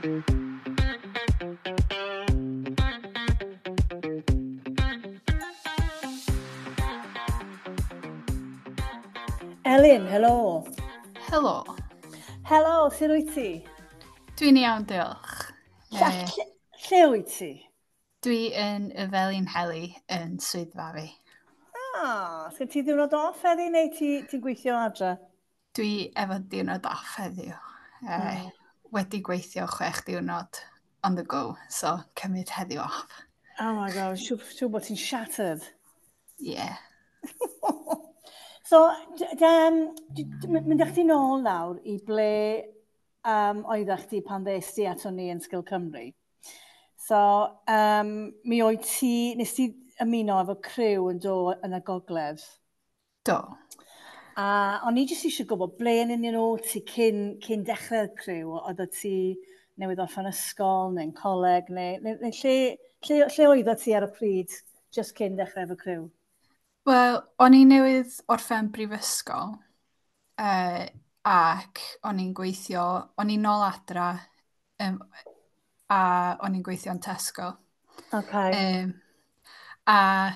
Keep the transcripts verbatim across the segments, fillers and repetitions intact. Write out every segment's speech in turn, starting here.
Elin, helo. Helo. Helo, sut wyt ti? Dwi'n iawn, diolch. Lle, lle, lle wyt ti? Dwi yn y Felinheli yn swyddfa fi. Ah, sgyn ti ddiwrnod off heddi neu ti'n ti gweithio adre? Dwi efo diwrnod off heddiw. Mm. Uh, wedi gweithio chwech diwrnod on the go, so cymryd heddiw off. Oh my God, siŵr, siŵr bod ti'n shattered. Yeah. So, um, mynd â chdi nôl nawr i ble um, oeddech chdi pan ddes ti ato ni yn Sgil Cymru. So, um, mi oedd ti, nes ti ymuno efo criw yn do yn y gogledd? Do. A o'n i jyst eisiau gwybod ble yn union o ti cyn, cyn dechrau'r criw? Oedd ti newydd orffen ysgol neu'n coleg neu, neu, neu lle, lle, lle oeddet ti ar y pryd just cyn dechrau efo criw? Wel, o'n i newydd orffen brifysgol uh, ac o'n i'n gweithio, o'n i'n nôl adra um, a o'n i'n gweithio yn Tesco. Okay. Um, a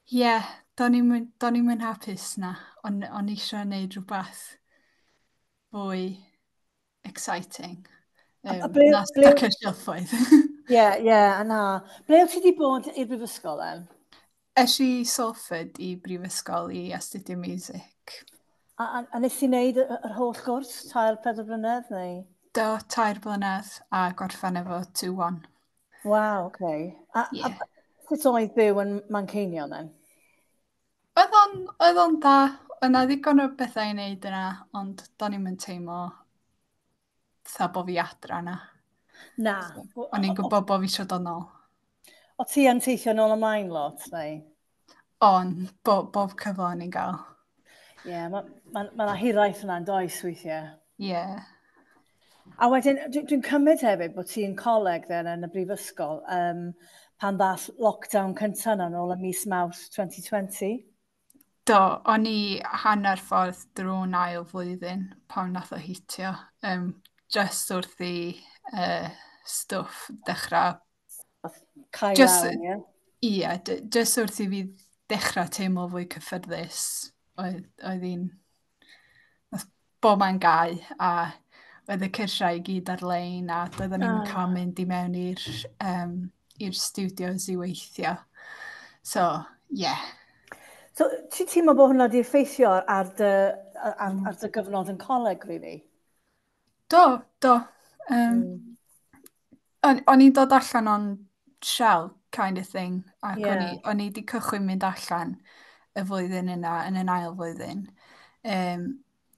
ie, yeah, do'n i'm yn hapus na. O'n, o'n i eisiau gwneud rhywbeth fwy exciting. Um, a, a ble, na stuck ble... silffoedd. Ie, ie, a na. Ble wyt ti wedi bod i'r brifysgol then? Es i Salford i brifysgol i astudio music. A, a, a nes i wneud yr holl gwrs, tair, pedwar blynedd, neu? Do, tair blynedd a gorffen efo two one. Waw, oce. Okay. A, yeah. A sut oedd byw yn Manceinion, then? Oedd o'n, oedd o'n da. Oedd 'na ddigon o bethau i wneud yna, ond do'n i'm yn teimlo fatha bo fi adra yna. Na. So, o'n i'n gwybod bo fi eisiau dod nôl. O ti yn teithio nôl ymlaen lot, neu? On, bo, bob cyfle o'n i'n gael. Ie, yeah, mae ma, ma 'na hiraeth yna yn does weithiau. Ie. Yeah. A wedyn, dwi'n dwi cymryd hefyd bod ti'n coleg then yn y brifysgol um, pan ddath lockdown cyntaf yna nôl ym mis Mawrth twenty twenty. Do, o'n i hanner ffordd drwy'n ail flwyddyn pan nath o hitio. Um, just wrth i uh, stwff dechrau Cael lawr, ie? Ie, jyst wrth i fi dechrau teimlo fwy cyffyrddus, oedd, oedd hi'n bob man gau, a oedd y cyrsiau i gyd ar-lein, a doedden ni'n oh. cael mynd i mewn i'r um, i'r studios i weithio. So, ie. Yeah. So, ti'n teimlo bod hwnna wedi effeithio ar dy, ar, mm. ar dy gyfnod yn coleg, really? Do, do. Um, mm. O'n, o'n i'n dod allan o'n shell kind of thing, ac yeah. o'n i, o'n i wedi cychwyn mynd allan y flwyddyn yna, yn yn ail flwyddyn. Um,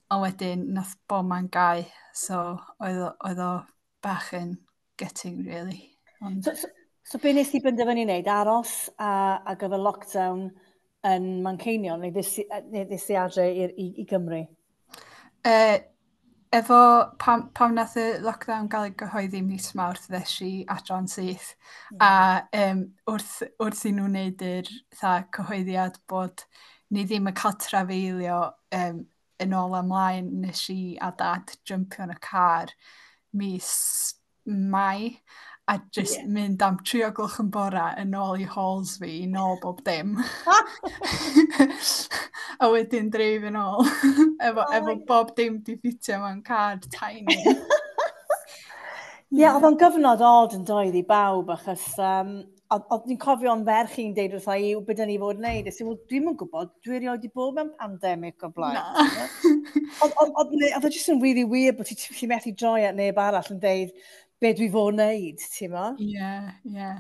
ond wedyn nath bob man gau, so oedd o, oedd o bach yn gutting, really. Ond... So, so, so be nes i benderfynu wneud? Aros a, a gyfer lockdown yn Manceinion, neu ddys i adre i, i, i Gymru? Uh, Efo pam, pam nath y lockdown gael ei gyhoeddi mis Mawrth, ddes i adran syth. Mm. A um, wrth, wrth i nhw wneud yr tha, cyhoeddiad bod ni ddim yn cael trafeilio um, yn ôl ymlaen, nes i a dad jumpio yn y car mis Mai a just yeah. mynd am tri o gloch yn bora yn ôl i halls fi, i nôl bob dim. A wedyn dreif yn ôl, efo, oh efo bob dim di ffitio mewn car tiny. Ie, yeah, oedd o'n gyfnod odd yn doedd i bawb, achos um, oedd ni'n cofio o'n ferch i'n deud wrtha i, beth ni fod yn neud. Ys i, wel, dwi'm yn gwybod, dwi erioed wedi bod mewn pandemig o blaen. Oedd o jyst yn really weird bod ti'n ti methu droi at neb arall yn deud be dwi fod wneud, ti'n mo? Ie, ie.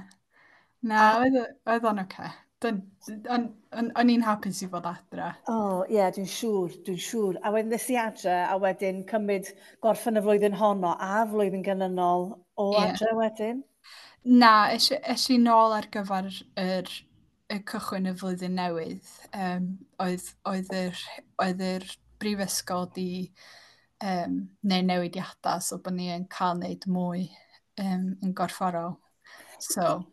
Na, oedd o'n oce. O'n i'n hapus i fod adra. O, oh, ie, yeah, dwi'n siŵr, dwi'n siŵr. A wedyn nes i adre, a wedyn cymryd gorffen y flwyddyn honno a flwyddyn ganlynol o yeah. adre wedyn. Na, es, es i nôl ar gyfer yr, y cychwyn y flwyddyn newydd. Um, oedd, oedd, yr, oedd yr brifysgol di um, neu newidiadau, so bod ni yn cael wneud mwy um, yn gorfforol. So,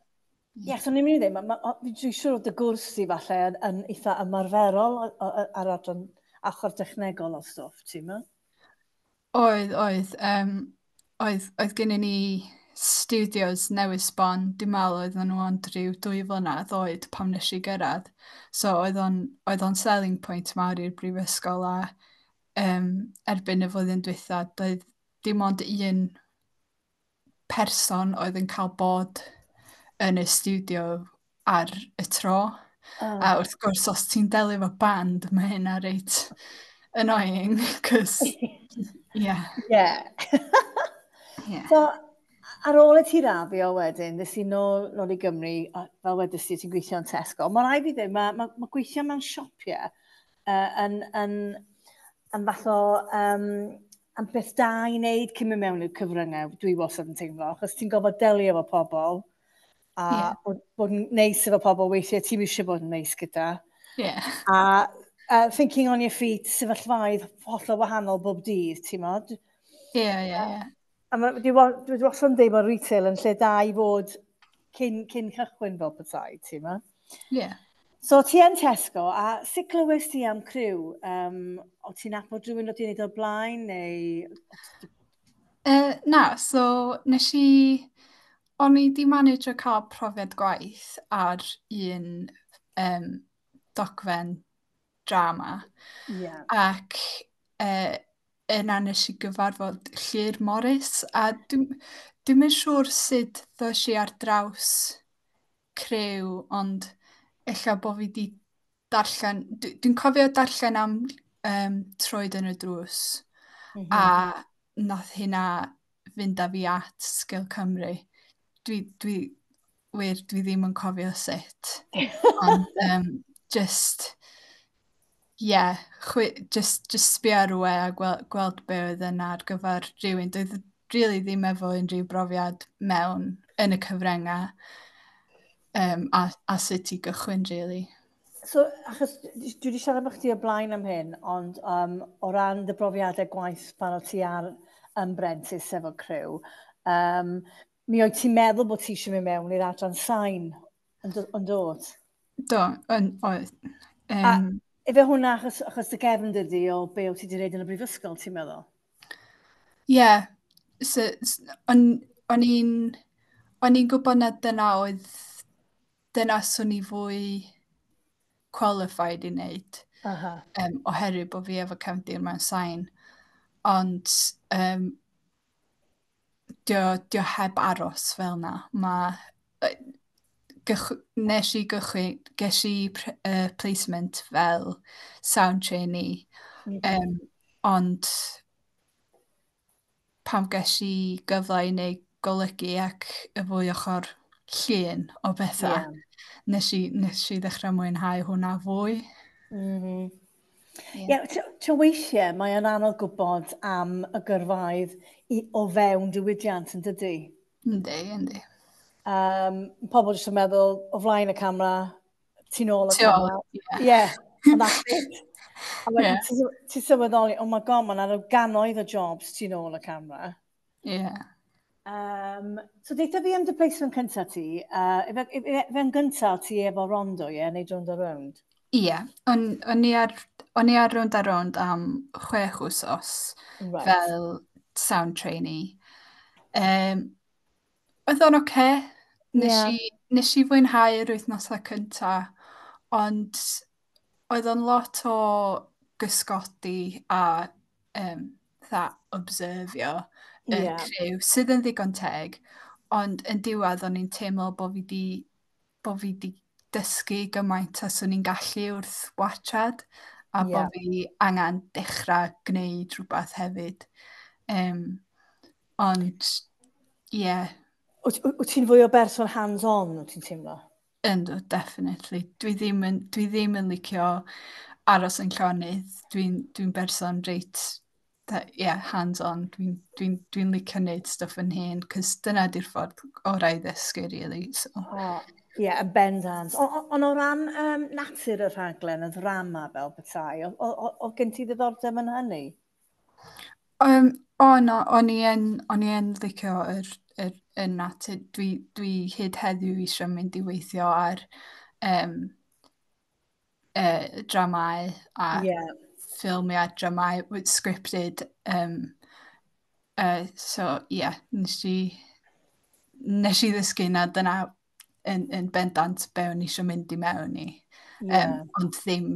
Ie, yeah, so ni'n mynd i ddweud, dwi'n siŵr oedd y gwrs i falle yn, yn eitha ymarferol ar adran ochr technegol o stwff, ti'n meddwl? Oedd, oedd. Um, oedd, oedd gennym ni studios newydd sbon, dwi'n meddwl oedden nhw ond rhyw dwy flynedd oed pan nes i gyrraedd. So oedd o'n, oedd o'n selling point mawr i'r brifysgol a um, erbyn y flwyddyn dwytha, doedd dim ond un person oedd yn cael bod yn y studio ar y tro. Oh. A wrth gwrs, os ti'n delio efo band, mae hynna reit annoying, cos, yeah. Yeah. Yeah. So, ar ôl i ti raddio wedyn, nes i nôl, nôl i Gymru, a fel wedys ti, ti'n gweithio yn Tesco. Mae rhaid fi ddweud, mae, mae, mae gweithio mewn siopau uh, yn, yn, yn fath o um, yn beth da i wneud cyn mynd mewn i'r cyfryngau, dwi wastad yn teimlo, achos ti'n gorfod delio efo pobl, a yeah. bod, bod yn neis efo pobl weithiau ti'n eisiau bod yn neis gyda. Yeah. A uh, thinking on your feet, sefyllfaoedd hollol wahanol bob dydd, ti'n modd? Ie, ie, ie. A ma, dwi, dwi wastad yn dweud bod retail yn lle da i fod cyn, cyn cychwyn fel petai, ti'n modd? Ie. Yeah. So ti yn Tesco, a sut glywes ti am Criw? Um, o ti'n nabod rhywun o ti'n neud o'r blaen, neu... Uh, na, so nes i... O'n i di manage o cael profiad gwaith ar un um, dogfen drama. Yeah. Ac uh, yna nes i gyfarfod Llyr Morris, a dwi'n dwi'm yn siŵr sut ddoes i ar draws Criw, ond ella bod fi di darllen, dwi'n cofio darllen am um, Troed yn y Drws, mm -hmm. a nath hynna fynd â fi at Sgil Cymru. Dwi, dwi, wir, dwi ddim yn cofio sut. Ond um, just, yeah, chwi, just, just sbio ar y we a gweld, gweld be oedd yna ar gyfer rhywun. Doedd really ddim efo unrhyw brofiad mewn yn y cyfryngau um, a, a sut i gychwyn, really. So, achos dwi wedi siarad efo chdi o blaen am hyn, ond um, o ran dy brofiadau gwaith pan o ti ar yn brentis efo Criw, um, mi oedd ti'n meddwl bod ti eisiau mynd mewn i'r adran sain yn, yn dod? Do, yn, oedd. Um, a efe hwnna achos, achos dy gefn dydi o be o ti wedi gwneud yn y brifysgol, ti'n meddwl? Ie. Yeah. So, o'n, o'n i'n o'n i'n gwybod na dyna oedd dyna swn i fwy qualified i wneud. Aha. Um, oherwydd bod fi efo cefndir mewn sain. Ond um, dio, dio heb aros fel na. Ma, gych, nes i gychwyn, ges i uh, placement fel sound trainee. Mm -hmm. um, ond pam ges i gyfle i wneud golygu ac y fwy ochr llun o bethau, yeah. nes, i, nes i ddechrau mwynhau hwnna fwy. Mm -hmm. Ie, yeah. yeah, weithiau mae yn anodd gwybod am y gyrfaoedd i, o fewn diwydiant yn dydy? Yndi, yndi. Um, pobl jyst yn meddwl o flaen y camera, tu nôl y camera. Ie, yeah, and that's it. A wedyn yeah. ti'n ti sylweddoli, oh my God, mae'n ar gannoedd o jobs tu nôl y camera. Ie. Yeah. Um, so deitha fi am dy placement cyntaf ti, uh, efe, efe gyntaf ti efo Rondo, ie, yeah, neu Rownd a Rownd? Ie, yeah. o'n, o'n i ar, o'n i ar Rownd a Rownd am chwech wsos right. fel sound trainee. Um, oedd o'n oce. Okay. Nes, yeah. i, nes i fwynhau yr wythnosau cynta, ond oedd o'n lot o gysgodi a um, tha obserfio y yeah. criw, sydd yn ddigon teg, ond yn diwedd o'n i'n teimlo bod fi di, bod fi di dysgu gymaint a swn i'n gallu wrth watchad, a yeah. bod fi angen dechrau gwneud rhywbeth hefyd. Um, ond, ie. Yeah. Wyt ti'n fwy o berson hands-on, wyt ti'n teimlo? Yndw, definitely. Dwi ddim yn, dwi ddim yn licio aros yn llonydd. Dwi'n dwi berson reit, yeah, hands-on. Dwi'n dwi, dwi licio wneud stwff yn hun, cos dyna di'r ffordd orau i ddysgu, really. So. Oh, ie, yeah, yn bendant. Ond o ran um, natur y rhaglen, y ddrama fel petai, oedd gen ti ddiddordeb yn hynny? Um, o, no, o'n i yn, o'n i yn licio yr, yr, yr natur. Dwi, dwi hyd heddiw eisiau mynd i weithio ar um, uh, dramau a yeah. ffilmiau dramau with scripted um, Uh, so, ie, yeah, nes i, nes i ddysgu na dyna yn, yn bendant be o'n i eisiau mynd i mewn i. Yeah. Um, ond ddim,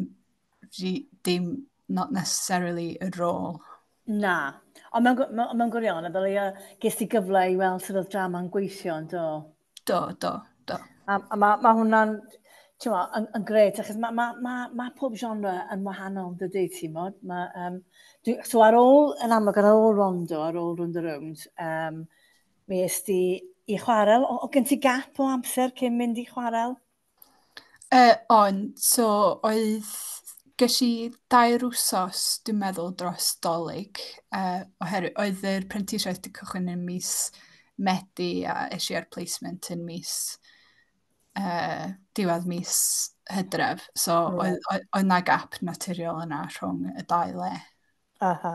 dim, not necessarily y rôl. Na. Ond mewn, mewn, mewn gwirionedd, fel ia, ges ti gyfle i weld sut oedd drama'n gweithio, yn do? Do, do, do. A, a mae ma hwnna'n, ti'n mo, yn, yn gret, achos mae ma, ma, ma pob genre yn wahanol, dydy, ti'n mo? Ma, um, dwi, so ar ôl, yn amlwg, ar ôl Rondo, ar ôl Rownd a Rownd, um, mi es di i Chwarel. O, o gen ti gap o amser cyn mynd i Chwarel? Uh, ond, so oedd, ges i dair wsos, dwi'n meddwl, dros Dolig, uh, oherwydd oedd yr prentisiaeth wedi cychwyn yn mis Medi a es i ar placement yn mis uh, diwedd mis Hydref. So right. oedd, oedd, oedd na gap naturiol yna rhwng y dau le. Aha.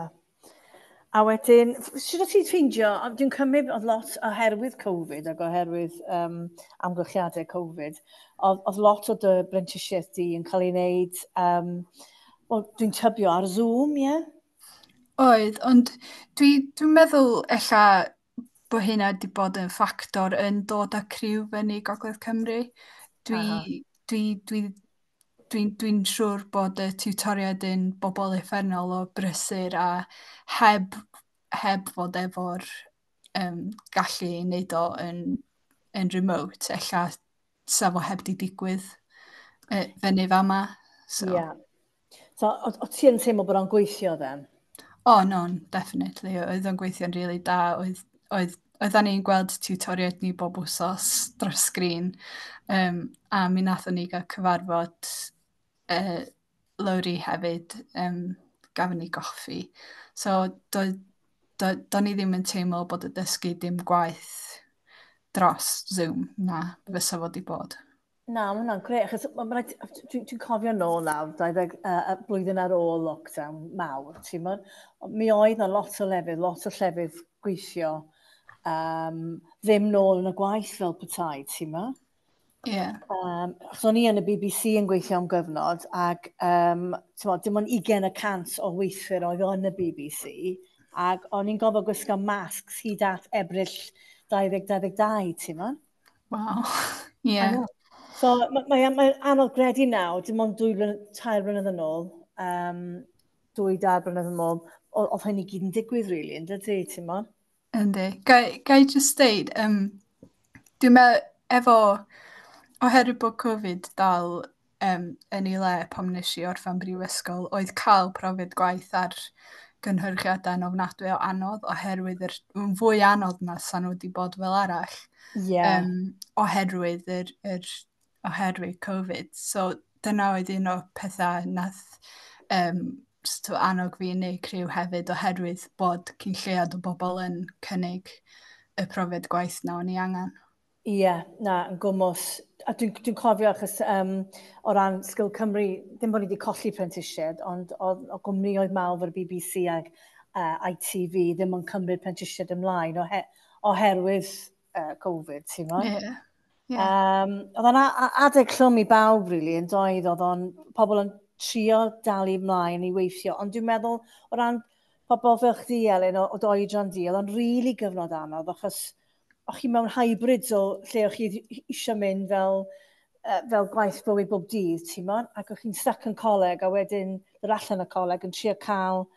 A wedyn, sut o't ti'n ffeindio, dwi'n cymryd oedd lot oherwydd Covid ac oherwydd um, amgylchiadau Covid, oedd, oedd lot o dy brentisiaeth di yn cael ei wneud, um, wel, dwi'n tybio ar Zoom, ie? Yeah? Oedd, ond dwi'n dwi meddwl ella bod hynna wedi bod yn ffactor yn dod â criw fyny Gogledd Cymru. Dwi, dwi, dwi, dwi'n dwi siŵr bod y tiwtoriaid yn bobl uffernol o brysur a heb, heb fod efo'r um, gallu i wneud o yn, yn remote, ella sa fo heb di digwydd uh, fyny fama. So. Yeah. So, o, o ti yn teimlo bod o'n gweithio then? O, oh, no, definitely. Oedd o'n gweithio'n really da. Oedd, oedd, oedden ni'n gweld tiwtoriaid ni bob wsos dros sgrin. Um, a mi nathon ni gael cyfarfod uh, Lowri hefyd, um, gafon ni goffi. So, do, do, do ni ddim yn teimlo bod y dysgu dim gwaith dros Zoom, na, fysa fod i bod. Na, mae hwnna'n grêt, achos dwi'n dwi, dwi cofio nôl nawr, dau ddeg uh, blwyddyn ar ôl lockdown mawr, ti'n mo? Mi oedd na lot o lefydd, lot o llefydd gweithio, um, ddim nôl yn y gwaith fel petai, ti'n mo? Ie. Yeah. Um, achos o'n i yn y B B C yn gweithio am gyfnod, ac um, mo, dim ond ugain y cant o weithwyr oedd yn y B B C, ac o'n i'n gofio gwisgo masks hyd at Ebrill dau ddeg dau ddeg dau, ti'n mo? Wow. Ie. Yeah. So mae mae, mae anodd gredu nawr, dim ond dwy blynedd, tair blynedd yn ôl, um, dwy, dair blynedd yn ôl, oedd hyn i gyd yn digwydd, really, yn dydy, ti'n mo? Yndi. Ga i just deud, um, dwi'n meddwl, efo, oherwydd bod Covid dal um, yn ei le pan nes i orffen brifysgol, oedd cael profiad gwaith ar gynhyrchiadau yn ofnadwy o anodd, oherwydd yr, yn fwy anodd na sa nhw wedi bod fel arall. Yeah. Um, oherwydd yr, yr, oherwydd Covid. So dyna oedd un o'r pethau nath um, sort of annog fi i wneud Criw hefyd, oherwydd bod cyn lleiad o bobl yn cynnig y profiad gwaith na o'n i angen. Ie, yeah, na, yn gwmws. A dwi'n dwi cofio achos um, o ran Sgil Cymru, ddim bod ni wedi colli prentisiaid, ond oedd o gwmnioedd mawr fel B B C ag uh, I T V ddim yn cymryd prentisiaid ymlaen ohe, oherwydd uh, Covid, ti'n mo? Ie. Yeah. Yeah. Um, oedd o'n adeg llwm i bawb, really, yn doedd, oedd o'n pobl yn trio dal i ymlaen i weithio, ond dwi'n meddwl o ran pobl fel chdi, Elin, o, o dy oedran di, oedd o'n really gyfnod anodd, achos o'ch chi mewn hybrids o lle o'ch chi eisiau mynd fel, uh, fel gwaith bywyd bob dydd, ti'n mo? Ac o'ch chi'n stuck yn coleg, a wedyn dod allan y coleg yn trio cael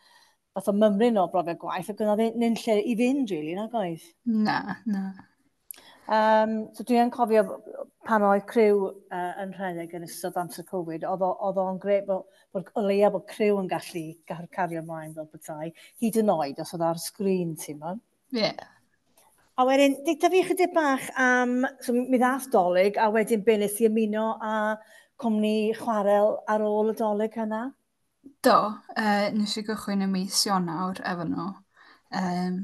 fath o mymryn o brofiad gwaith, ac oedd nyn lle i fynd, really, nag oedd? Na, na. Um, so dwi yn cofio pan oedd Criw uh, yn rhedeg yn ystod amser Covid, oedd oedd o'n grêt bod, bod o leia bod Criw yn gallu cario ymlaen fel petai, hyd yn oed os oedd ar sgrin, ti'n mo? Ie. Yeah. A wedyn, deutha fi chydig bach am, so mi ddath Dolig, a wedyn be nes i ymuno â cwmni Chwarel ar ôl y Dolig yna? Do, uh, nes i gychwyn y mis Ionawr efo nhw. Um,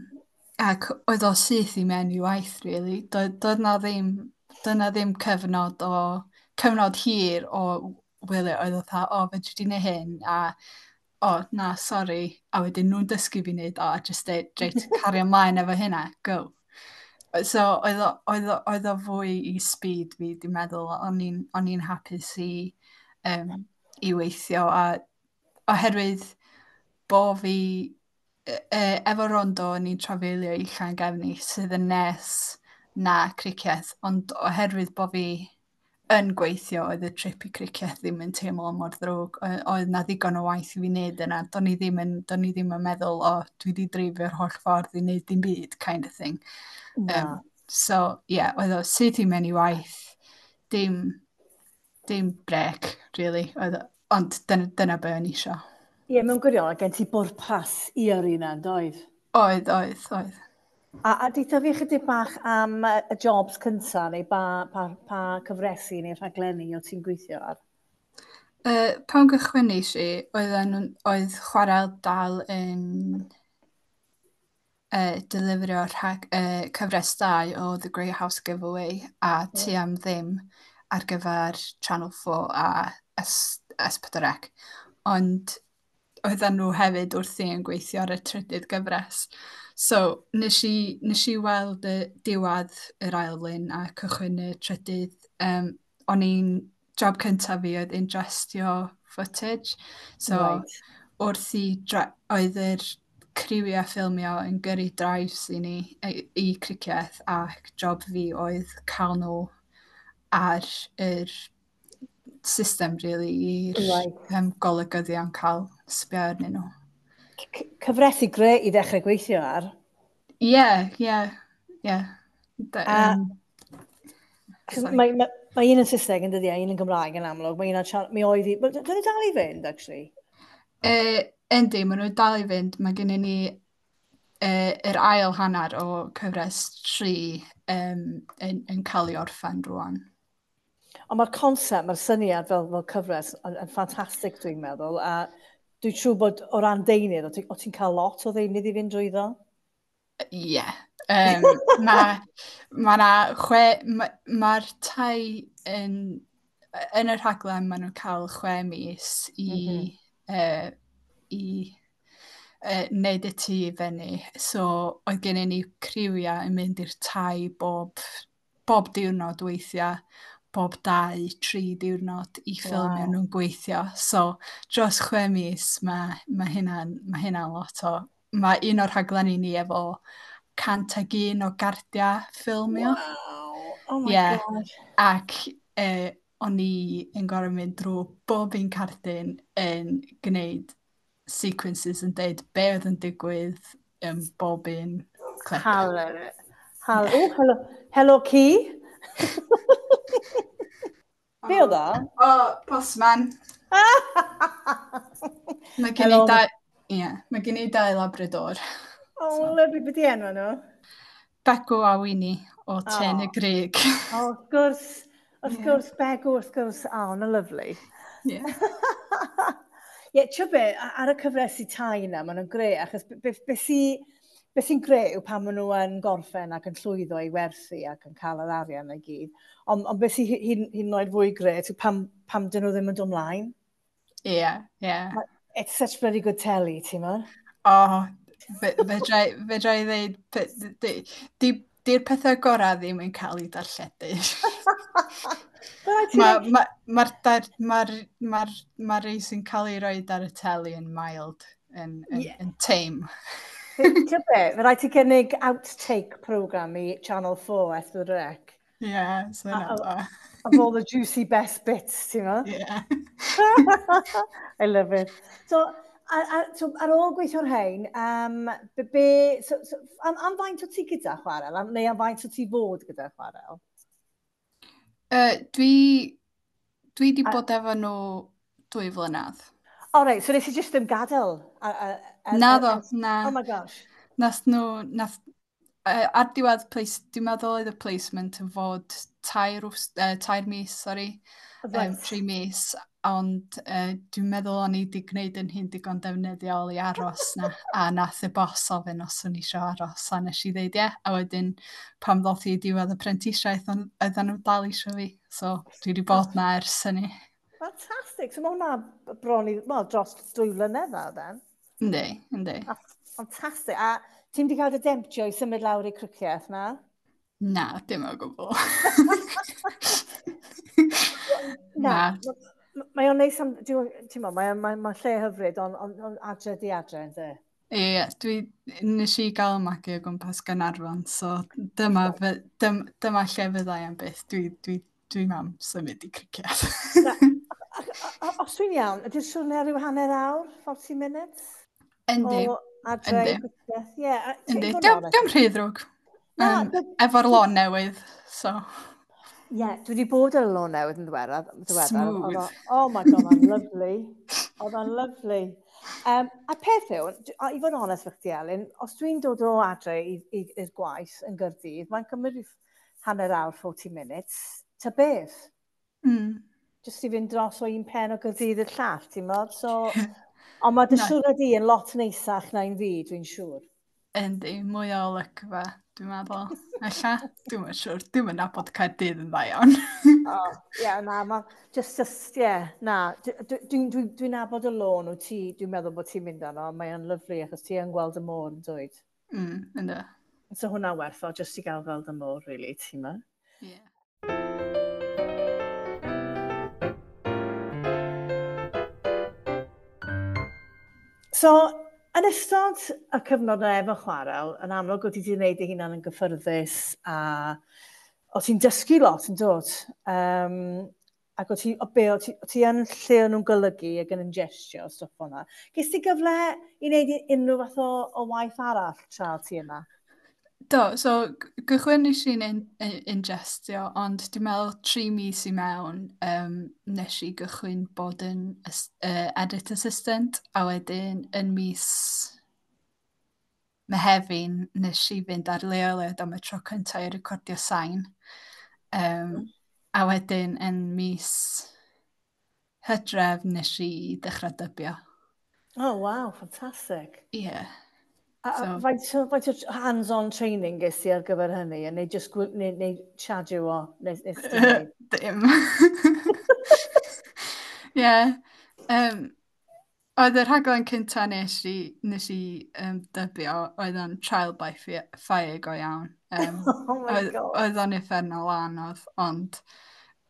ac oedd o syth i mewn i waith, really. Doedd, doedd na ddim, doedd na ddim cyfnod o, cyfnod hir o wylio, oedd o fatha, "O, fedri di neud hyn?" a "O, na, sori." A wedyn nhw'n dysgu fi wneud o, a just deud, "Reit, cario ymlaen efo hynna, go." So, oedd o, oedd o, oedd o fwy i speed fi, dwi'n meddwl. O'n i'n o'n i'n hapus i, um, i weithio, a oherwydd bo fi e, efo Rondo o'n i'n trafeilio i Llangefni sydd yn nes na Cricieth, ond oherwydd bod fi yn gweithio, oedd y trip i Cricieth ddim yn teimlo mor ddrwg. Oedd na ddigon o waith i fi wneud yna. Do'n i ddim yn, do'n i ddim yn meddwl, "O, dwi wedi dreifio'r holl ffordd i wneud dim byd," kind of thing. Na. Um, so, ie, yeah, oedd o syth i mewn i waith, dim, dim break, really. Oedd, ond dyna, dyna be o'n i isio. Ie, yeah, mewn gwirionedd, gen ti bwrpas i yrru yna, doedd? Oedd, oedd, oedd. A, a deutha fi chydig bach am y jobs cynta, neu ba, pa, pa cyfresi neu rhaglenni o ti'n gweithio ar? Uh, pan gychwynnes i, oedd, oedd Chwarel dal yn uh, deliverio rhag, uh, cyfres dau o The Great House Giveaway a Tŷ Am Ddim ar gyfer Channel four a S, S pedwar C. Ond oedden nhw hefyd wrthi yn gweithio ar y trydydd gyfres. So, nes i, nes i weld y diwedd yr ail un a cychwyn y trydydd. Um, o'n i'n, job cyntaf fi oedd ingestio footage. So, right. wrth i, oedd yr criwiau ffilmio yn gyrru drives i ni i, i Cricieth, ac job fi oedd cael nhw ar yr system, really, i'r right. um, golygyddion cael sbio arnyn nhw. Cyfresi grêt i ddechrau gweithio ar. Ie, ie, ie. A mae, mae, mae un yn Saesneg yn dydi, a un yn Gymraeg yn amlwg. Mae un ar, mi oedd i... Dyn nhw dal i fynd, actually? E, yndi, maen nhw dal i fynd. Mae gennym ni e, yr ail hanner o cyfres tri um, yn, yn cael ei orffen rwan. Ond mae'r concept, mae'r syniad fel, fel cyfres yn, yn ffantastig, dwi'n meddwl. A dwi'n siŵr bod o ran deunydd, o ti'n ti cael lot o ddeunydd i fynd drwyddo? Ie. Yeah. Um, mae ma na chwe... Mae'r ma tai yn, yn y rhaglen, maen nhw'n cael chwe mis i, mm -hmm. uh, i uh, wneud y tŷ i fyny. So, oedd gennym ni criwiau yn mynd i'r tai bob, bob diwrnod weithiau, bob dau, tri diwrnod i ffilmio wow. nhw'n gweithio. So, dros chwe mis, mae, mae hynna'n ma hynna lot o... Mae un o'r rhaglenni ni efo cant ag un o gardiau ffilmio. Wow! Oh my yeah. God. Ac eh, o'n i yn gorfod mynd drwy bob un cardyn yn gwneud sequences yn deud be oedd yn digwydd yn bob un clip. Halo. Halo. Yeah. Oh, hello. Hello, ci. Be oedd o? O, postman. Mae gen i dau, yeah, mae gen i dau Labrador. Oh, so. Lovely. Be di enw nhw? Begw a Winnie o Trên y Grug. O, wrth gwrs. Wrth yeah. gwrs, Begw, wrth gwrs. O, oh, na lovely. Yeah. Ie, yeah, ti'n be, ar y cyfresi tai yna, maen nhw'n grêt, achos be, be, be sy, be sy'n grêt yw pan maen nhw yn gorffen ac yn llwyddo i werthu ac yn cael yr arian i gyd. Ond on beth sy'n hyd yn oed fwy grêt yw pam, pam dyn nhw ddim yn dod ymlaen. Ie, yeah, ie. Yeah. It's such bloody good telly, ti'n mo? O, fedra fedra i ddeud, di'r pethau gorau ddim yn cael ei darlledu. Mae'r ma, ma, ma, ma, ma rei sy'n cael ei roed ar y teli yn mild, yn, yn, yeah. yn tame. Ti'n be, mae rhaid ti gynnig outtake program i Channel four S pedwar C. Ie, yeah, so yna da. Of all the juicy best bits, ti'n mo? Yeah. I love it. So, a, a, so ar ôl gweithio'r hein, um, be, be, so, so, am, am faint o ti gyda Chwarel, am, neu am faint o ti fod gyda Chwarel? Uh, dwi, dwi di bod efo nhw dwy flynedd. O, reit, so nes i just ddim gadael? A, a, a, Na ddo, na. Oh my gosh. Nath nhw, nath, uh, ar diwedd place, dwi'n meddwl oedd y placement yn fod tair, uh, tair mis, sorry, right. um, tri mis, ond uh, dwi'n meddwl o'n i wedi gwneud yn hyn digon defnyddiol i aros na, a nath y bos ofyn os o'n i eisiau aros, a nes i ddeud ie, a wedyn pan ddoth i diwedd y prentisiaeth, oedden nhw dal eisiau fi, so dwi wedi bod na ers hynny. Fantastic. So mae hwnna bron i, well, dros dwy flynedd nawr, then. Yndi, yndi. Fantastic. A ti'n di cael dy demptio i symud lawr i Cricieth na? Na, dim o gwbl. Na. Mae o'n neis am, ti'n mo, mae'n mae, mae lle hyfryd, ond on, on adre di adre, ynddi? Ie, yeah, dwi, nes i gael magu o gwmpas Gaernarfon, so dyma, dym, dyma lle fyddai am byth. Dwi, dwi, dwi am symud i Cricieth. Os dwi'n iawn, ydy'r siwrne rhyw hanner awr, forty minutes? Yndi. O adre i Cricieth, ie. Yndi, diolch rhy ddrwg. Um, efo'r lôn newydd, so... Ie, yeah, dwi wedi bod ar y lôn newydd yn ddiweddar. Smooth. Oh my God, mae'n lovely. Oedd o'n lovely. Um, a peth yw, i fod yn onest fy chdi, Elin, os dwi'n dod o adre i'r gwaith yn Gaerdydd, mae'n cymryd hanner awr, forty minutes, ta beth? Mm. Just i fynd dros o un pen o Gaerdydd i'r llall, ti'n modd? So, ond mae dy siwrne di yn lot neisach na un fi, dwi'n siŵr. Yndi, mwy o olygfa, dwi'n meddwl. Ella, dwi'm yn siŵr, dwi'm yn nabod Caerdydd yn dda iawn. Oh, yeah, na, ma, just, just, yeah, na. Dwi'n dwi, dwi, dwi nabod y lôn wyt ti, dwi'n meddwl bod ti'n mynd arno, mae o'n lyfli achos ti yn gweld y môr yn dweud. Mm, ynddo. So hwnna werth o, just i gael gweld y môr, really, ti'n ma? Yeah. So, yn ystod y cyfnod yna efo chwarel, yn amlwg oedd ti wedi gwneud ei hunan yn gyffyrddus a o ti'n dysgu lot yn dod. Um, ac o ti, o be, o ti, o ti yn lle o'n nhw'n golygu ac yn ingestio o stwff o'na. Ges ti gyfle i wneud unrhyw fath o, o waith arall tra ti yna? Do, so gychwyn nes i'n in, ingestio, ond dwi'n meddwl tri mis i mewn um, nes i gychwyn bod yn uh, edit assistant, a wedyn yn mis Mehefin nes i fynd ar leoliad am y tro cyntaf i recordio sain. Um, mm. A wedyn yn mis Hydref nes i ddechrau dybio. Oh, wow, fantastic. Ie. Yeah. A, so, faint, faint o hands-on training ges ti ar gyfer hynny? Neu just neu, neu shadow o? Nes, nes ti wneud? Dim. Ie. Yeah. Um, oedd y rhaglen cynta nes i, nes i um, dybio, oedd o'n trial by fire go iawn. Um, oh my oedd, God. Oedd o'n uffernol anodd, ond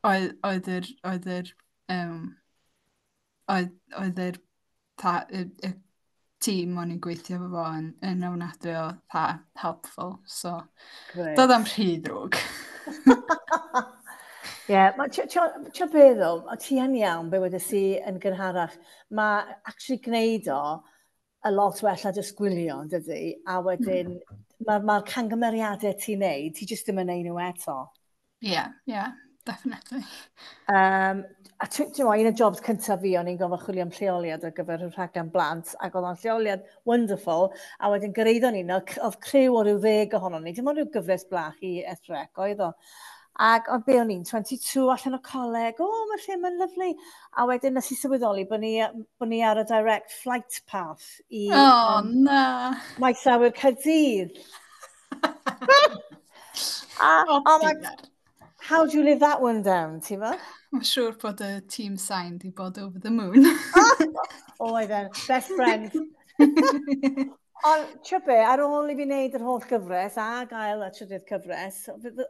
oedd, oedd yr, oedd yr, um, oedd, oedd yr, ta, y, y tîm o'n i'n gweithio efo fo yn, yn ofnadwy o tha, helpful, so Great. Doedd am rhy ddrwg. Ie, yeah, ti'n beth ddo, ti yn iawn, be wedes i yn gynharach, mae actually gwneud o a lot well na jyst gwylio, yn dydi? A wedyn, mm. mae'r ma cangymeriadau ti'n neud, ti jyst ddim yn neud nhw eto. Ie, yeah, ie, yeah, definitely. Um, a ti'n gwybod, un o jobs cyntaf fi, o'n i'n gofio chwilio am lleoliad ar gyfer y rhaglen blant, ac oedd o'n lleoliad wonderful, a wedyn gyrraeddon ni, oedd criw o ryw ddeg ohonon ni, dim ond rhyw gyfres blach i S R C oedd o. Ac oedd be o'n i'n twenty-two allan o coleg, o, oh, mae'r lle ma'n lyfli. A wedyn nes i sylweddoli bod ni, bod ni ar y direct flight path i oh, um, na. Maes Awyr Caerdydd. A, oh, oh my, how do you live that one down, ti'n mo? Mae'n siŵr bod y team sain di bod over the moon. Oh, oedd e'n best friend. Ond, ti'n be, ar ôl i fi wneud yr holl gyfres a gael y trydydd cyfres,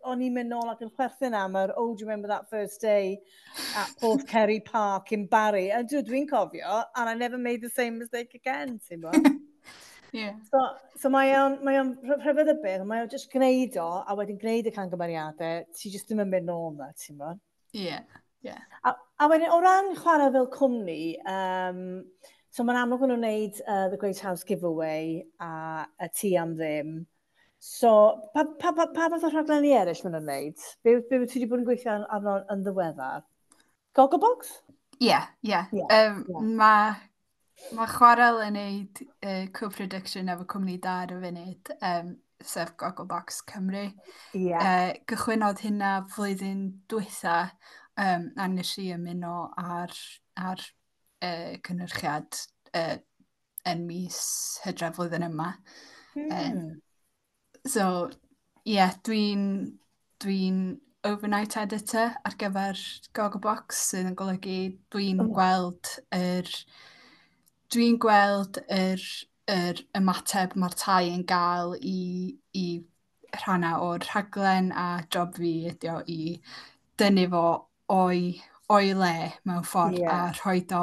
o'n i'n mynd nôl ac yn chwerthin am yr, oh, do you remember that first day at Porthkerry Park in Barry? A dwi, dwi'n cofio, and I never made the same mistake again, ti'n bo? Yeah. So, so mae o'n, mae o'n rhyfedd y beth, mae o'n just gwneud o, a wedyn gwneud y cangymeriadau, ti just ddim yn mynd nôl na, ti'n bo? Yeah, yeah. A, a wedyn, o ran chwarae fel cwmni, um, so mae'n amlwg nhw'n gwneud uh, The Great House Giveaway a y Tŷ am Ddim. So, pa, pa, pa, pa fath o rhaglenni eraill maen nhw'n gwneud? Be, be ti wedi bod yn gweithio arno yn ddiweddar? Gogglebox? Ie, ie. Mae ma Chwarel yn gwneud uh, co-production efo cwmni da ar y funud, um, sef Gogglebox Cymru. Yeah. Uh, gychwynnodd hynna flwyddyn dwytha, um, a nes i ymuno ar, ar uh, cynhyrchiad uh, yn mis Hydref flwyddyn yma. Mm. Um, so, ie, yeah, dwi'n dwi overnight editor ar gyfer Gogglebox, sydd yn golygu dwi'n oh. gweld yr dwi'n gweld yr, yr ymateb mae'r tai yn gael i, i rhannau o'r rhaglen, a job fi ydi o i dynnu fo o'i, o'i le mewn ffordd yeah. a rhoi o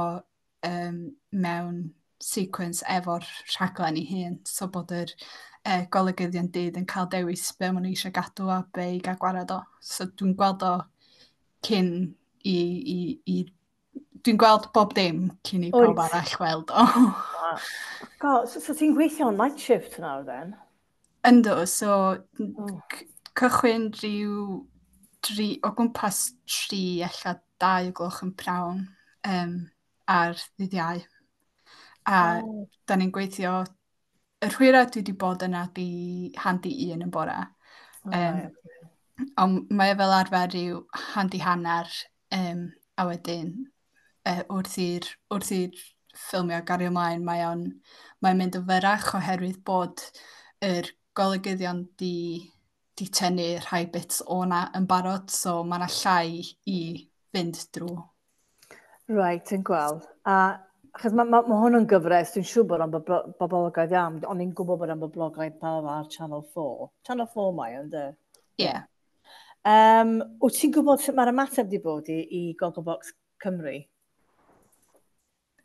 um, mewn sequence efo'r rhaglen ei hun, so bod yr uh, golygyddion dydd yn cael dewis be maen nhw eisiau gadw a be i gael gwared o. So dwi'n gweld o cyn i, i, i dwi'n gweld bob dim cyn i pawb arall weld o. God, so, so ti'n gweithio on night shift nawr then? Yndw, so oh. cychwyn rhyw dri, o gwmpas tri, ella dau gloch yn prawn um, ar ddydd Iau. A oh. da ni'n gweithio, yr hwyra dwi wedi bod yna di handi un yn bora. Oh, um, right. Ond mae e fel arfer rhyw handi hanner, um, a wedyn uh, wrth i'r wrth i'r ffilmio gario ymlaen, mae o'n mae'n mynd yn fyrrach oherwydd bod yr golygyddion di, di tynnu rhai bits o'na yn barod, so mae yna llai i fynd drwy. Right, yn gweld. A achos mae ma, ma hwn yn gyfres, dwi'n siŵr bod o'n boblogaidd iawn, ond i'n gwybod bod o'n boblogaidd pawb ar Channel four. Channel four mae o'n, de? Ie. Yeah. Um, wyt ti'n gwybod sut mae'r ymateb di bod i, i Gogglebox Cymru?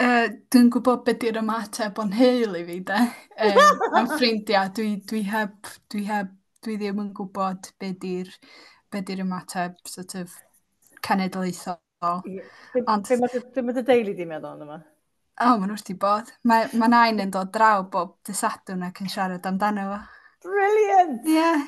Uh, dwi'n gwybod beth di'r ymateb o'n heil i fi, de. Um, am ffrindiau, dwi, dwi heb, dwi heb, dwi ddim yn gwybod beth di'r be di'r ymateb sort of cenedlaethol. Yeah. Be, Ond, be mae be ma dy deulu di meddwl yma? O, oh, maen nhw wrth i bod. Mae, mae nain yn dod draw bob dydd Sadwrn ac yn siarad amdano fo. Brilliant! Ie. Yeah.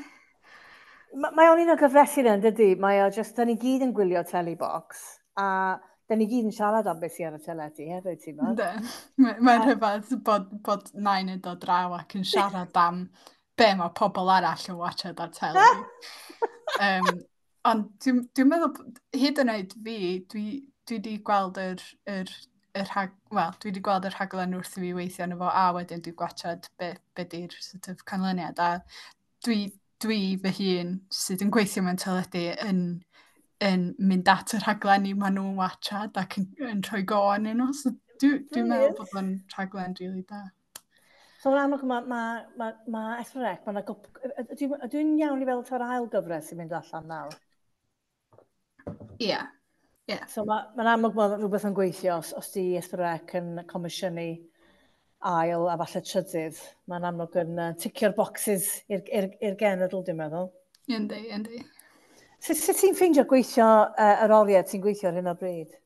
Mae o'n un o gyfresi yna, dydy? Mae o just, da ni gyd yn gwylio Telebox, a da ni gyd yn siarad am beth sydd ar y teledu hefyd, ti'n meddwl? Ynddi. Mae'n rhyfedd bod, bod nain yn dod draw ac yn siarad am be mae pobl arall yn watchad ar teli. um, ond dwi'n dwi meddwl, hyd yn oed fi, dwi, dwi di gweld yr, yr, yr rhag, well, dwi di gweld y rhaglen wrth i fi weithio arno fo, a wedyn dwi'n gwachod be, be di'r sort of canlyniad. A dwi, dwi fy hun sydd yn gweithio mewn teledu yn, yn mynd at y rhaglenni maen nhw'n watchad ac yn, yn rhoi go arnyn nhw. So dwi'n dwi meddwl bod o'n rhaglen rili da. So yn amlwg mae ma, ma, ma S pedwar C, ma ydw i'n iawn i fel ta'r ail gyfres sy'n mynd allan nawr? Ie. Yeah. Yeah. So mae'n ma amlwg mae rhywbeth yn gweithio os, os di S pedwar C yn comisiynu ail a falle trydydd. Mae'n amlwg yn uh, ticio'r boxes i'r genedl, dwi'n meddwl. Yndi, yndi. Sut, sut ti'n ffeindio gweithio uh, yr oriau ti'n gweithio ar hyn o bryd?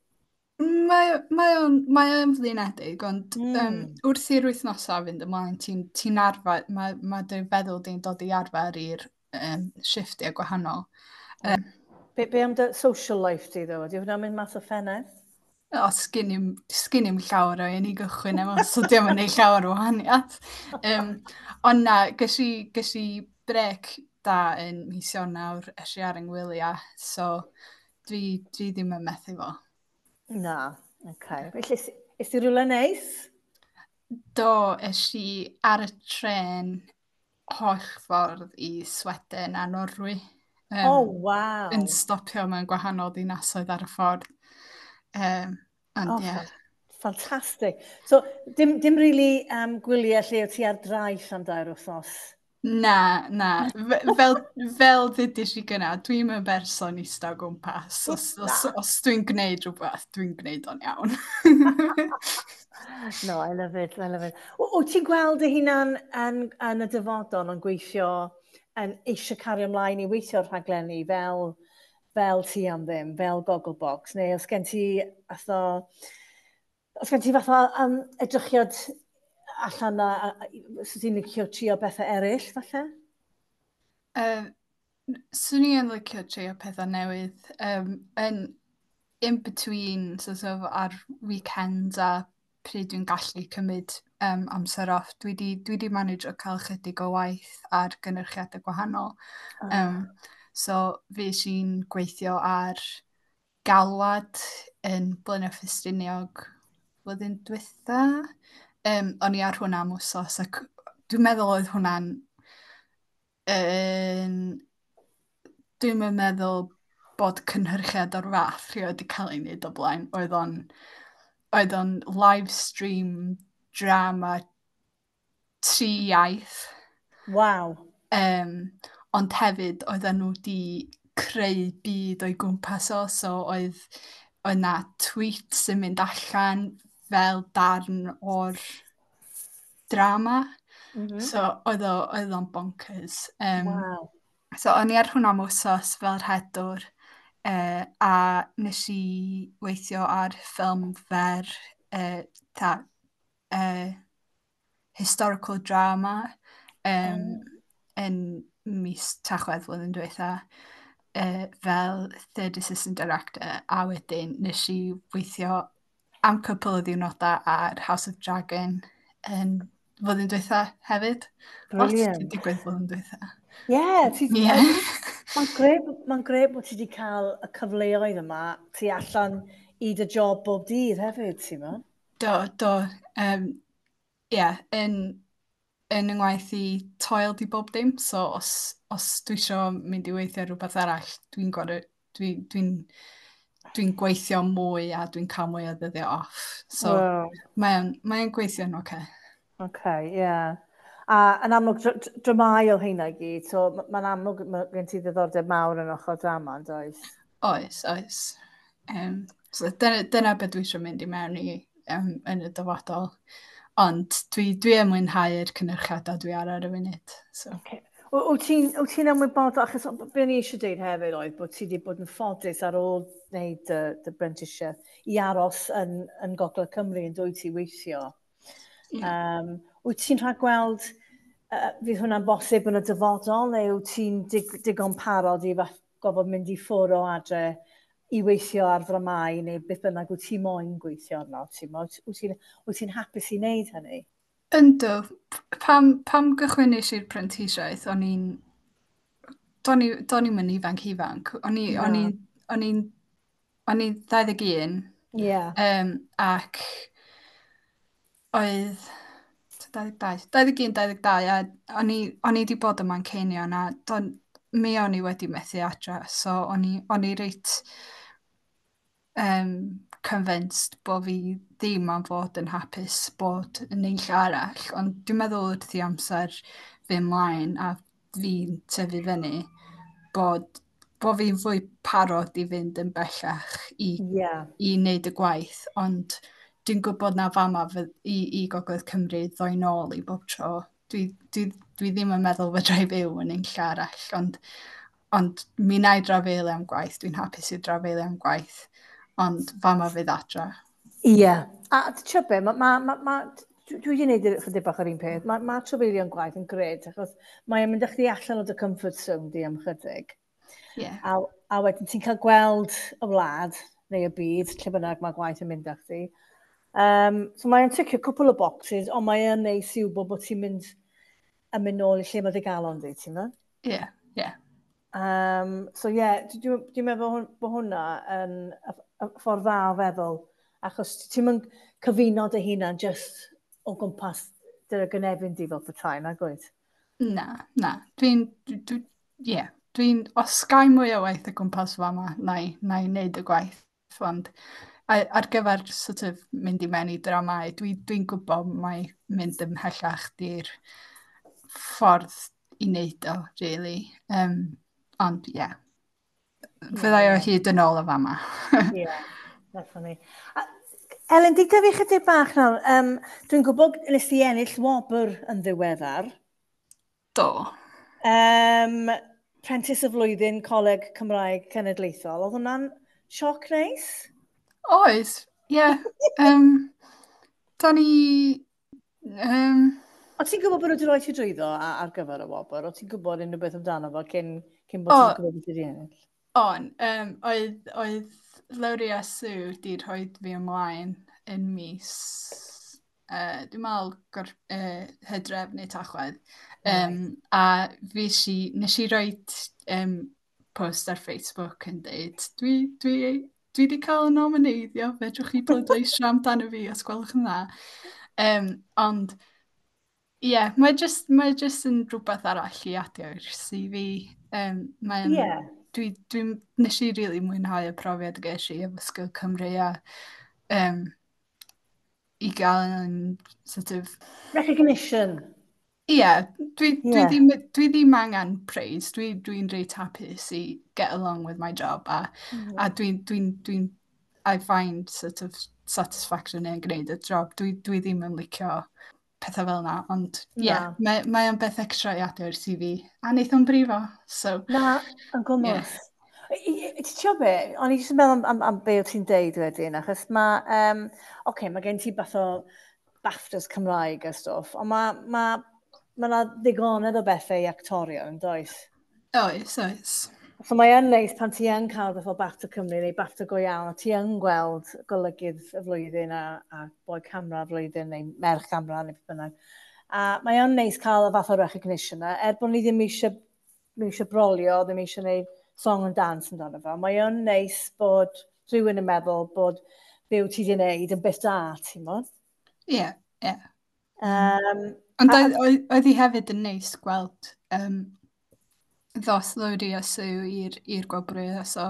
Mae, mae o'n, mae o'n flinedig, ond mm. um, wrth i'r wythnosau fynd ymlaen, ti'n ti arfer, mae, mae dy feddwl di'n dod i arfer i'r um, shifftiau gwahanol. Um, be, be am dy social life di, ddo? Ydy hwnna'n mynd mas o ffenest? O, sgyn i'm, sgyn i'm llawer o un i gychwyn efo, so diolch yn neud llawer o wahaniaeth. Um, ond na, ges i, ges i brec da yn mis Ionawr, es i ar yng ngwyliau, so dwi, dwi ddim yn methu fo. Na, oce. Okay. Felly, es ti rhywle neis? Do, es i ar y tren holl ffordd i Sweden a Norwy. Um, oh, wow. Yn stopio mewn gwahanol dinasoedd ar y ffordd. Um, ond, oh, yeah. Fantastic. So, dim, dim really um, gwyliau lle o ti ar draeth am dair wythnos? Na, na. Fel, fel ddudis i gynna, dwi'n yn berson ista o gwmpas. Os, os, os dwi'n gwneud rhywbeth, dwi'n gwneud o'n iawn. No, I love it, I love it. Wyt ti'n gweld dy hunan yn, yn y dyfodol yn gweithio, yn eisiau cario ymlaen i weithio'r rhaglenni fel, fel ti am ddim, fel Gogglebox, neu os gen ti atho, os gen ti fath o um, edrychiad allan na, so ti'n licio trio bethau eraill, falle? Uh, swn i yn licio trio pethau newydd. Um, yn in between, sort of, ar weekends a pryd dwi'n gallu cymryd um, amser off. Dwi di, dwi di manage o cael chydig o waith ar gynyrchiadau gwahanol. Oh. Um, so, fi sy'n gweithio ar galwad yn Blaenau Ffestiniog flwyddyn dwytha. Um, o'n i ar hwnna am wsos ac dwi'n meddwl oedd hwnna'n yn, dwi'n meddwl bod cynhyrchiad o'r fath rioed wedi cael ei wneud o blaen. Oedd o'n, oedd o'n live stream drama tri iaith. Wow. Um, ond hefyd oedden nhw wedi creu byd o'i gwmpas o, so oedd, oedd na tweets yn mynd allan fel darn o'r drama. Mm -hmm. So oedd o, oedd o'n bonkers. Um, Wow. So o'n i ar hwnna am wsos fel rhedwr uh, a nes i weithio ar ffilm fer uh, ta, uh, historical drama um, Oh. yn mis Tachwedd flwyddyn diwetha uh, fel third assistant director, a wedyn nes i weithio am cwpl o ddiwrnodau ar House of Dragon yn flwyddyn diwetha hefyd. Lot Brilliant. wedi digwydd flwyddyn diwetha. Ie, ti... Ie. Mae'n grêt, mae'n grêt bod ti wedi cael y cyfleoedd yma tu allan i dy job bob dydd hefyd, ti'n mo? Do, do. Um, ie, yn, yn yng ngwaith i toil di bob dim, so os, os dwi isio mynd i weithio ar rhywbeth arall, dwi'n gorfod, dwi'n dwi dwi gweithio mwy a dwi'n cael mwy o ddyddiau off. So Wow. mae'n mae gweithio'n oce. Okay, ie. Yeah. A yn amlwg, dr- dr- dramau o heina i gyd, so ma- mae'n amlwg ma' gen ti ddiddordeb mawr yn ochr drama, yn does? Oes, oes. Um, so dyna, dyna beth dwi eisiau mynd i mewn i um, yn y dyfodol. Ond dwi, dwi yn mwynhau'r cynyrchiadau dwi ar ar y funud. So. Okay. Wyt ti'n wyt ti'n ymwybodol, achos be o'n i eisiau dweud hefyd oedd bod ti wedi bod yn ffodus ar ôl wneud dy, dy brentisiaeth i aros yn, yn Gogledd Cymru yn dwy ti weithio. Ie. Um, wyt ti'n rhagweld uh, fydd hwnna'n bosib yn y dyfodol, neu wyt ti'n dig, digon parod i fath, gofod mynd i ffwrdd o adre i weithio ar ddramau neu beth bynnag wyt ti moyn gweithio arno? Ti'n mo? Wyt ti'n wyt ti'n hapus i wneud hynny? Yndw, pam, pam gychwynnes i'r prentisiaeth, o'n i'n... Do'n i, do'n i'm yn ifanc ifanc. O'n i, o'n i, o'n i'n, o'n i'n dau ddeg un. Ie. Um, ac oedd dau ddeg dau, dau ddeg un, dau ddeg dau, a o'n i, o'n i wedi bod ym Manceinion, a don, mi o'n i wedi methu adra, so o'n i, o'n i reit um, convinced bod fi ddim am fod yn hapus bod yn unlle arall, ond dwi'n meddwl wrth i amser fy ymlaen a fi'n tyfu fyny, bod, bod fi'n fwy parod i fynd yn bellach i, Ie. i wneud y gwaith, ond dwi'n gwybod na fama fy, i, i Gogledd Cymru ddoi nôl i bob tro. Dwi, dwi, dwi ddim yn meddwl fedra i fyw yn unlle arall, ond, ond mi wna i drafeilio am gwaith, dwi'n hapus i drafeilio am gwaith, ond fama fydd adra. Ie. A ti'n be, ma, ma, ma, ma, dwi wedi gwneud chydig bach o'r un peth. Mae ma trafeilio'n gwaith yn grêt, achos mae'n mynd â chdi allan o dy comfort zone di am chydig. Ie. A, a wedyn ti'n cael gweld y wlad, neu y byd, lle bynnag mae gwaith yn mynd â chdi. Um, so mae'n ticio cwpl o boxes, ond mae'n neis i wybod bod ti'n mynd yn mynd nôl i lle mae dy galon di, ti'n meddwl? Ie, ie. Um, so ie, yeah, dwi'n dwi meddwl hwn- bod hwnna yn y, y ffordd dda o feddwl, achos ti'n mynd cyfuno dy hunan just o gwmpas dy gynefin di fel petai, nag wyt? Na, na. Dwi'n, dwi, dwi, ie, dwi'n, os gai mwy o waith o gwmpas fama, na i, na i wneud y gwaith, ond ar gyfer sort of mynd i mewn i dramau, dwi'n dwi gwybod mai mynd ymhellach di'r ffordd i wneud o, really. Um, ond, ie. Yeah. Fyddai o hyd yn ôl o fama. Ie, definitely. A, Elen, di dyfu chydig bach nawr. Um, dwi'n gwybod nes i ennill wobr yn ddiweddar. Do. Um, Prentis y Flwyddyn Coleg Cymraeg Cenedlaethol. Oedd hwnna'n sioc neis? Oes, ie. Yeah. Um, da ni... Um, O ti'n gwybod bod nhw wedi rhoi ti drwyddo ar gyfer y wobr? O ti'n gwybod unrhyw beth amdano fo cyn, cyn bod ti'n gwybod beth wedi ennill? On, um, oedd, oedd Lowri a Sue di rhoi fi ymlaen yn mis, uh, dwi'n meddwl gor, uh, Hydref neu Tachwedd. Um, right. A fi si, nes i roi um, post ar Facebook yn deud, dwi, dwi, dwi wedi cael y nomineiddio, fedrwch chi bleidleisio amdano fi os gwelwch yn dda. Um, ond, ie, yeah, mae just, mae just yn rhywbeth arall i adio i'r C V. Um, mae'n, yeah. Dwi, dwi, nes i really mwynhau y profiad ges i efo Sgil Cymru a um, i gael yn sort of... Recognition. Ie, yeah, dwi, dwi, yeah. ddim, dwi ddim angen praise. Dwi'n dwi, dwi reit hapus i get along with my job a, mm. a dwi'n, dwi, dwi, I find sort of satisfaction yn gwneud y job. Dwi, dwi ddim yn licio pethau fel yna, ond ie, yeah, mae, mae o'n beth extra i adio i'r C V, a wneith o'n brifo, so... Na, yn gwmws. Yeah. Ti'n siŵr be? O'n i jyst yn meddwl am, am, am be o ti'n deud wedyn, achos mae, um, oce, okay, mae gen ti fath o BAFTAs Cymraeg a stwff, ond mae ma, ma 'na ddigonedd o bethau i actorion, yn does? Oes, oes. So mae yn neis pan ti yn cael fath o BAFTA Cymru neu BAFTA go iawn, a ti yn gweld golygydd y flwyddyn a, a boi camera y flwyddyn neu merch camera neu beth bynnag. A mae yn neis cael y fath o recognition yna, er bod ni ddim eisiau, ddim eisiau brolio, ddim eisiau gwneud song and dance amdano fo. Mae yn neis bod rhywun yn meddwl bod be wyt ti wedi gwneud yn beth da, ti'n mo? Ie, ie. Um, Ond oedd, oedd hi hefyd yn neis gweld um, ddos Lowri a Sue i'r i'r gwobrwyo. So,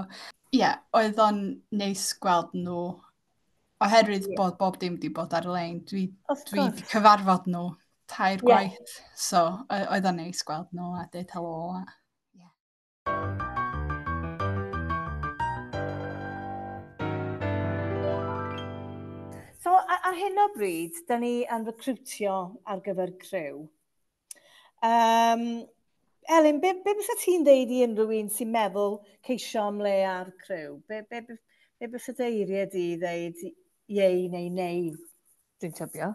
ie, yeah, oedd o'n neis gweld nhw, oherwydd yeah. bod bob dim wedi bod ar-lein. Dwi, dwi wedi cyfarfod nhw tair yeah. gwaith, so oedd o'n neis gweld nhw a deud helo. A, yeah. So, ar hyn o bryd, da ni yn recrwtio ar gyfer criw. Um, Elin, be, be bysa ti'n deud i unrhyw un sy'n meddwl ceisio am le ar criw? Be, be, be, be bysa dy eiriau di i ddeud iei neu neu, dwi'n tybio?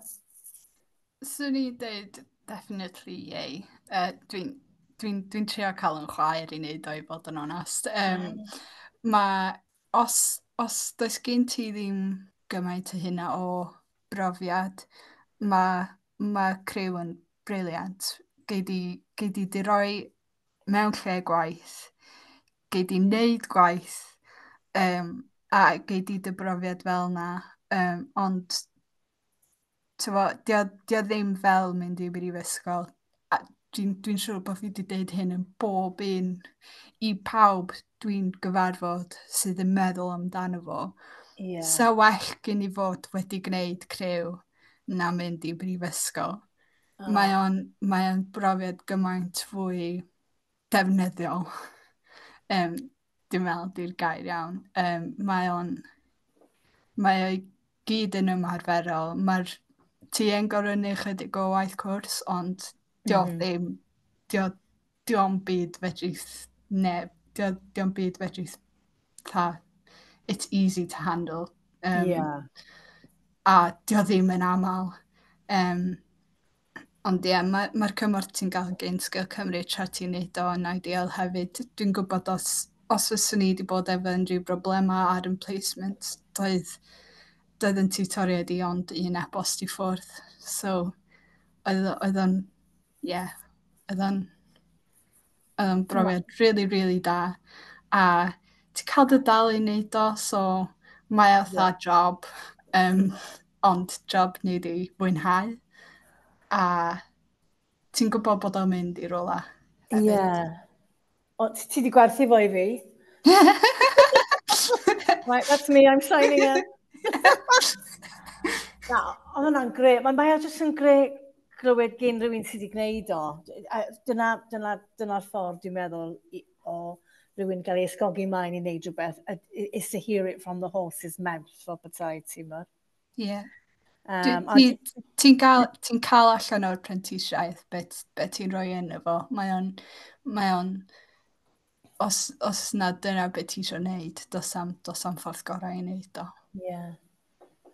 Swn i'n deud definitely iei. Uh, dwi'n dwi dwi trio cael yn chwaer i wneud o i fod yn onest. Um, mm. Ma, os, os does gen ti ddim gymaint o hynna o brofiad, mae ma criw yn brilliant. Gei di, gei di di roi mewn lle gwaith, gei di wneud gwaith, um, a gei di dy brofiad fel na. Um, ond t'mo, dio, dio ddim fel mynd i brifysgol. A dwi'n dwi siŵr bod fi wedi deud hyn yn bob un i pawb dwi'n gyfarfod sydd yn meddwl amdano fo. Yeah. Sa well gen i fod wedi gwneud criw na mynd i brifysgol. Oh. Mae o'n, mae o'n brofiad gymaint fwy defnyddiol. Um, dwi'n meddwl di'r gair iawn. Um, mae o'n, mae o'i gyd yn ymarferol. Mae'r, ti yn gorfod neud chydig o waith cwrs, ond dio mm -hmm. ddim, dio, dio'm byd fedrith neb, dio, dio'm byd fedrith tha, it's easy to handle. Um, yeah. A dio ddim yn aml. Um, Ond ie, mae'r ma cymorth ti'n gael gen Sgil Cymru tra ti'n neud o yn ideal hefyd. Dwi'n gwybod os, os fyswn i wedi bod efo unrhyw broblemau ar yn placement, doedd, doedd yn tiwtoriaid i ond un e-bost i ffwrdd. So, oedd, oedd o'n, ie, yeah, oedd o'n, oedd o'n brofiad really, really da. A ti'n cael dy dal i wneud o, so mae o fatha yeah. job, um, ond job ni di fwynhau. A ti'n gwybod bod o'n mynd i rywle hefyd. Ie. Yeah. O, ti di gwerthu fo i fi? Right, that's me, I'm signing up. Na, oedd hwnna'n grêt. Mae mae o jyst yn grêt glywed gen rhywun sydd wedi gwneud o. Dyna, dyna, dyna'r ffordd dwi'n meddwl i, o rhywun gael ei ysgogi mlaen i wneud rhywbeth. Is to hear it from the horse's mouth, fel petai, ti'n meddwl. Ie. Yeah. Um, Ti'n ti cael, ti cael allan o'r prentisiaeth beth be ti'n rhoi yn efo. Mae o'n, mae o'n, os, os na dyna beth ti eisiau gwneud, dos am, dos am ffordd gorau i wneud o. Ie. Yeah.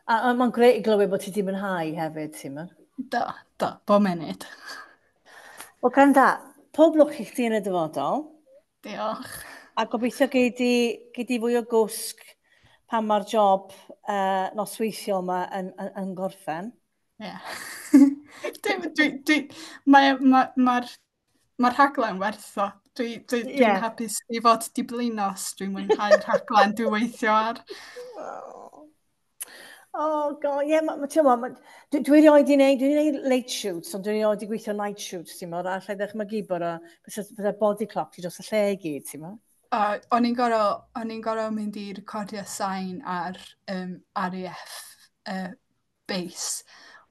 A, a mae'n grêt i glywed bod ti wedi mwynhau hefyd, ti'n mynd? Do, do, bob munud. Wel, gwranda, pob lwc i chdi yn y dyfodol. Diolch. A gobeithio gei di, gei di fwy o gwsg pan mae'r job uh, nosweithiol yma yn, yn, yn gorffen. Ie. Yeah. dwi, dwi, dwi, mae, ma, mae'r ma rhaglen werth o. Dwi, dwi, dwi'n yeah. hapus i fod di blino os dwi'n mwynhau'r rhaglen dwi'n weithio ar. Oh, oh God, ie, yeah, ma, ma, ma, ma, dwi, dwi erioed i wneud, dwi wedi wneud late shoots, ond dwi erioed i gweithio night shoots, ti'n mo, a allai ddechmygu bod o, bydde body clock ti dros y lle i gyd, ti'n mo? Uh, o'n i'n gorfod, o'n i'n gorfod mynd i recordio sain ar um, R A F uh, base.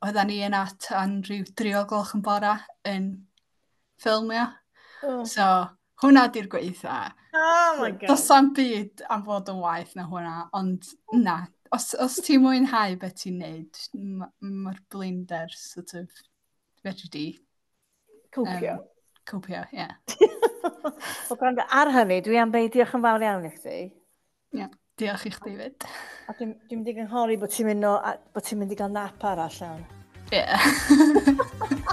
Oedden ni yna tan rhyw dri o gloch yn bora yn ffilmio. Oh. So, hwnna di'r gweitha. Oh my God. Does am byd am fod yn waeth na hwnna, ond na. Os, os ti'n mwynhau beth ti'n neud, mae'r blinder sort of fedri di Copio. Um, copio, ie. Yeah. Wel, gwrando, ar hynny, dwi am ddeud diolch yn fawr iawn i chdi. Yeah, diolch i chdi fyd. A dwi'n dwi mynd i gynghori bod ti'n mynd, o, a, bod ti'n mynd i gael nap arall iawn. Ie. Yeah.